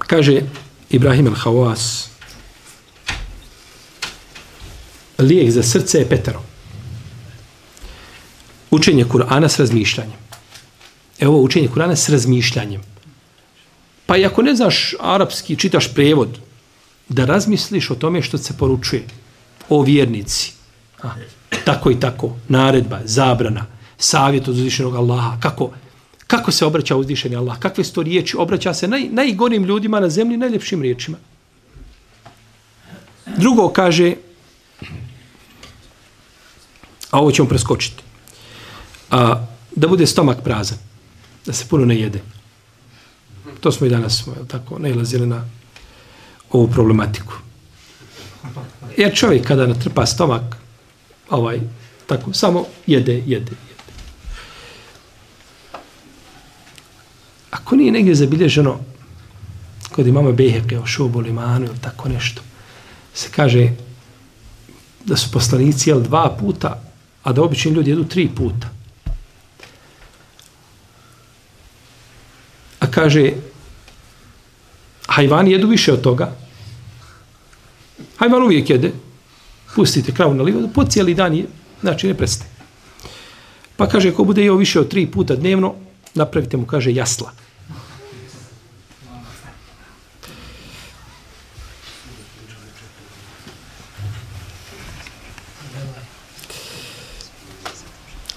Kaže Ibrahim al-Hawas, lijek za srce je 5. Učenje Kur'ana s razmišljanjem. Evo učenje Kur'ana s razmišljanjem. Pa i ako ne znaš arapski, čitaš prevod, da razmisliš o tome što se poručuje. O vjernici. Tako i tako. Naredba, zabrana, savjet od uzvišenog Allaha. Kako se obraća uzvišeni Allah? Kakve su to riječi? Obraća se najgorim ljudima na zemlji, najljepšim riječima. Drugo kaže, a ovo ćemo preskočiti, da bude stomak prazan, da se puno ne jede. To smo i danas tako nailazili na ovu problematiku. Jer čovjek kada natrpa stomak, tako, samo jede. Ako nije negdje zabilježeno kod imama Bejheke o Šubul Imanu ili tako nešto, se kaže da su poslanici jeli 2 puta, a da obični ljudi jedu 3 puta. A kaže, hajvani jedu više od toga. Hajvan uvijek jede. Pustite kravu na livadu, po cijeli dan je, znači ne prestaje. Pa kaže, ko bude jeo više od 3 puta dnevno, napravite mu, kaže, jasla.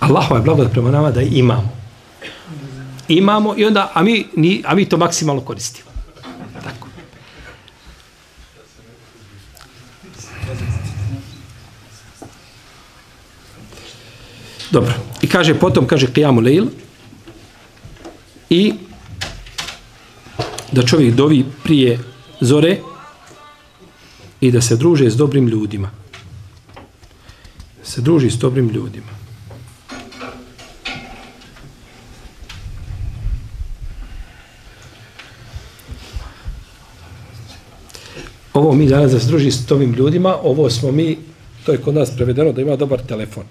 Allahova je blagodat prema nama da imamo i onda, a mi to maksimalno koristimo. Tako. Dobro. I kaže, potom kaže Qiyamu Lejl i da čovjek dovi prije zore i da se druže s dobrim ljudima. Se druži s dobrim ljudima. Ovo mi danas da se druži s ovim ljudima, ovo smo mi, to je kod nas prevedeno da ima dobar telefon.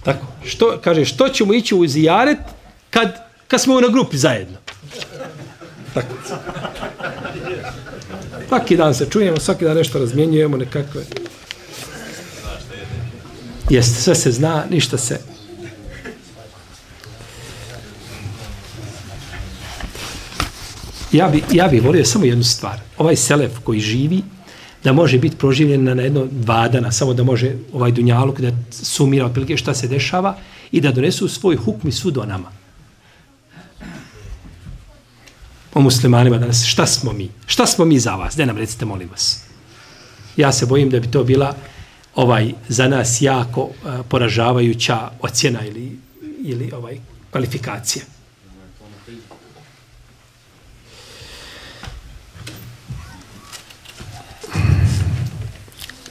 Tako, što ćemo ići u zijaret kad smo na grupi zajedno. Tako. Svaki dan se čujemo, svaki dan nešto razmjenjujemo, nekakve. Jeste, sve se zna, ništa se. Ja bi volio samo jednu stvar. Ovaj selef koji živi, da može biti proživljen na jedno 2 dana, samo da može ovaj dunjaluk da sumira otprilike šta se dešava i da donesu svoj hukm i sud o nama. O muslimanima danas, šta smo mi? Šta smo mi za vas? Daj nam recite, molim vas. Ja se bojim da bi to bila za nas jako poražavajuća ocjena ili kvalifikacija.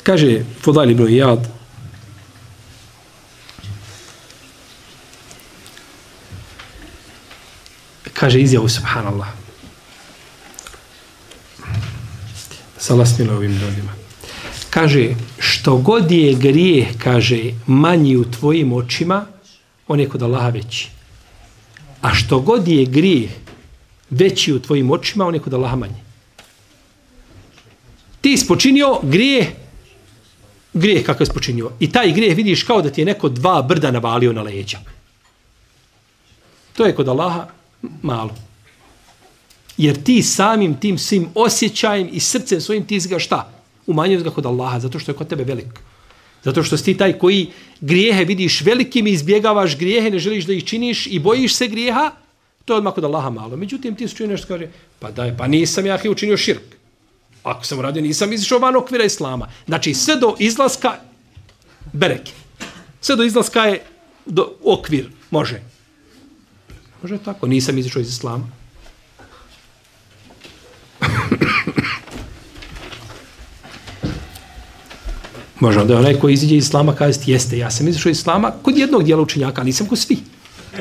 Kaže Fudail ibn Iyad, kaže izjavu subhanallah. Allah smilo ovim ljudima. Kaže, što god je grijeh, kaže, manji u tvojim očima, on je kod Allaha veći. A što god je grijeh veći u tvojim očima, on je kod Allaha manji. Ti ispočinio grijeh kakav je spočinio. I taj grijeh vidiš kao da ti je neko 2 brda navalio na leđa. To je kod Allaha malo. Jer ti samim tim svim osjećajem i srcem svojim ti ga šta? Umanjuješ ga kod Allaha, zato što je kod tebe velik. Zato što si ti taj koji grijehe vidiš velikim i izbjegavaš grijehe, ne želiš da ih činiš i bojiš se grijeha, to je odmah kod Allaha malo. Međutim, ti su čuo nešto kaže, pa nisam ja učinio širk. Ako sam uradio, nisam izišao van okvira islama. Znači, sve do izlaska bereke. Sve do izlaska je okvir. Može. Može tako. Nisam izišao iz islama. Može onda onaj koji iziđe iz islama kazati, jeste, ja sam izišao iz islama kod jednog dijela učenjaka, ali nisam kod svih.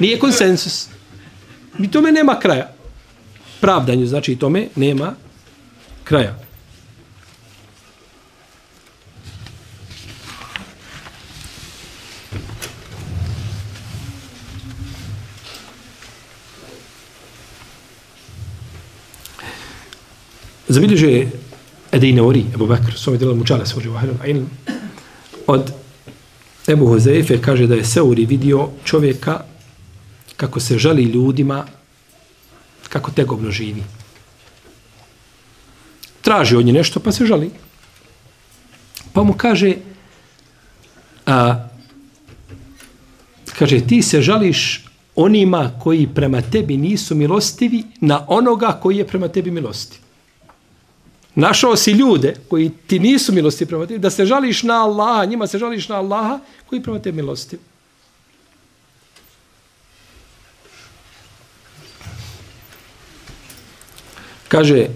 Nije konsensus. I tome nema kraja. Pravdanju, znači i tome nema kraja. Zabilježe Edejneori, Ebu Bekr, svome djela Mučale svođe u ilm, od Ebu Huzeife kaže da je Seuri vidio čovjeka kako se žali ljudima, kako tegobno živi. Traži od nje nešto, pa se žali. Pa mu kaže, kaže, ti se žališ onima koji prema tebi nisu milostivi na onoga koji je prema tebi milostiv. Našao si ljude koji ti nisu milostivi prema tebi, da se žališ na Allaha, njima se žališ na Allaha koji prema tebi milostiv. Kaže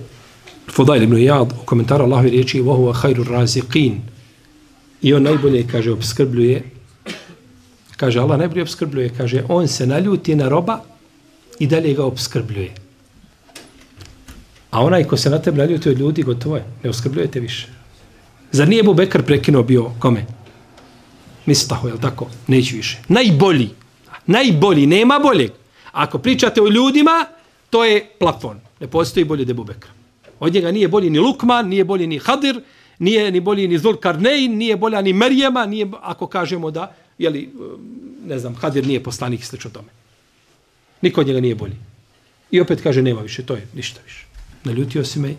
Fudail ibn Iyad u komentaru Allahove riječi وَهُوَ خَيْرُ الرَّازِقِينَ i on najbolje, kaže, obskrbljuje. Kaže, Allah najbolje obskrbljuje. Kaže, on se naljuti na roba i dalje ga obskrbljuje. A onaj ko se na tebi naljuti od ljudi, gotovo je. Ne obskrbljujete više. Zar nije Ebu Bekr prekinuo bio kome? Mistahu, jel tako? Neću više. Najbolji. Najbolji. Nema boljeg. Ako pričate o ljudima, to je plafon. Ne postoji bolje od Ebu Bekra. Od njega nije bolji ni Lukman, nije bolji ni Hadir, nije ni bolji ni Zulkarnein, nije bolja ni Merjema, nije, ako kažemo da, jeli, ne znam, Hadir nije poslanik i slično tome. Niko od njega nije bolji. I opet kaže, nema više, to je ništa više. Naljutio si me.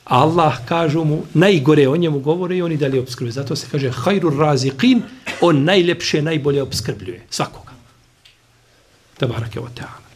Allah, kažu mu, najgore o njemu govore i oni dalje obskrbljuje. Zato se kaže, hajru raziqin, on najljepše, najbolje obskrbljuje. Svakoga. Tabarake wa ta'ala.